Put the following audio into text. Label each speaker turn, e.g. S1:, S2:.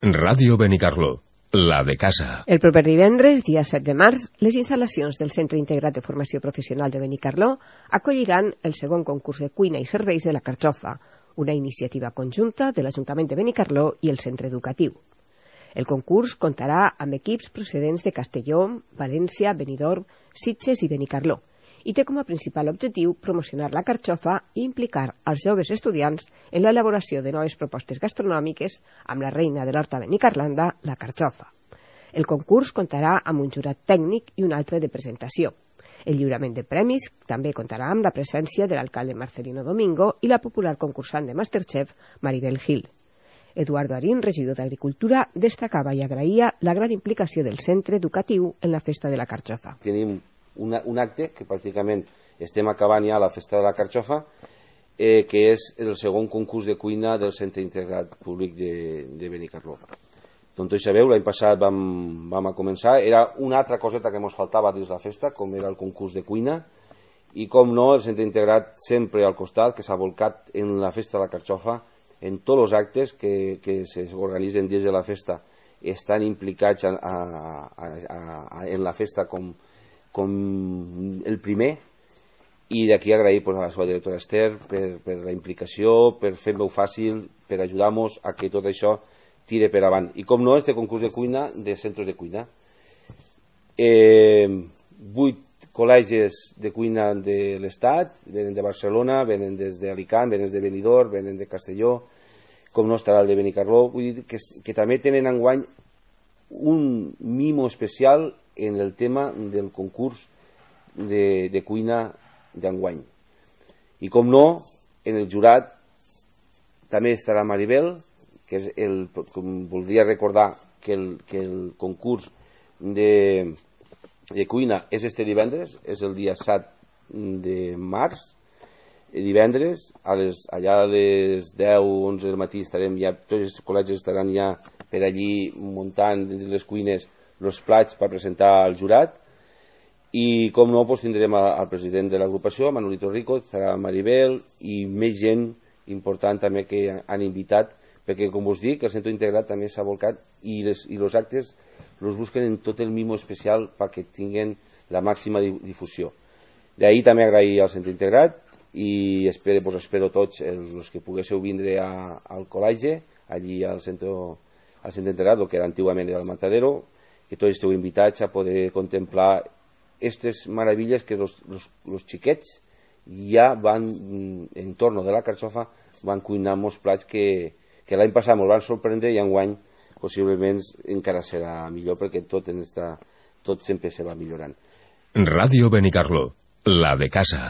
S1: Ràdio Benicarló, la de casa.
S2: El proper divendres, dia 7 de març, les instal·lacions del Centre Integrat de Formació Professional de Benicarló acolliran el segon concurs de cuina i serveis de la Carxofa, una iniciativa conjunta de l'Ajuntament de Benicarló i el centre educatiu. El concurs comptarà amb equips procedents de Castelló, València, Benidorm, Sitges i Benicarló, i té com a principal objectiu promocionar la carxofa i implicar els joves estudiants en l'elaboració de noves propostes gastronòmiques amb la reina de l'horta benicarlanda, la carxofa. El concurs comptarà amb un jurat tècnic i un altre de presentació. El lliurament de premis també comptarà amb la presència de l'alcalde Marcelino Domingo i la popular concursant de Masterchef, Maribel Gil. Eduardo Arín, regidor d'Agricultura, destacava i agraïa la gran implicació del centre educatiu en la festa de la carxofa.
S3: Tenim un acte que pràcticament estem acabant ja la festa de la carxofa, que és el segon concurs de cuina del Centre Integrat Públic de Benicarló. Doncs tots sabeu, l'any passat vam començar, era una altra coseta que ens faltava dins la festa, com era el concurs de cuina, i com no, el Centre Integrat sempre al costat, que s'ha volcat en la festa de la carxofa, en tots els actes que s'organitzen dins de la festa, estan implicats en la festa com el primer, i d'aquí agrair a la seva directora Esther per la implicació, per fer-ho fàcil, per ajudar-nos a que tot això tire per avant. I com no, este concurs de cuina, de centres de cuina. 8 col·legis de cuina de l'Estat, venen de Barcelona, venen des d'Alicant, venen de Benidorm, venen de Castelló, com no estarà el de Benicarló, vull dir que també tenen enguany un mimo especial en el tema del concurs de cuina d'enguany. I com no, en el jurat també estarà Maribel, que és voldria recordar que el concurs de cuina és este divendres, és el dia 7 de març, divendres, allà a les 10-11 del matí estarem ja, tots els col·legis estaran ja per allí muntant dins les cuines els plats per presentar al jurat, i com no, tindrem al president de l'agrupació, Manolito Rico, estarà Maribel i més gent important també que han invitat, perquè com us dic, el centre integrat també s'ha volcat i els actes els busquen en tot el mimo especial perquè tinguin la màxima difusió. D'ahir també agrair al centre integrat i espero tots els que poguéssiu vindre al col·legi, allí al centre integrat, el que antigament era el Matadero, que tots esteu invitats a poder contemplar aquestes meravilles que els xiquets ja van, en torno de la carxofa, van cuinar molts plats que l'any passat ens van sorprendre i enguany possiblement encara serà millor perquè tot sempre se va millorant.
S1: Ràdio Benicarló, la de casa.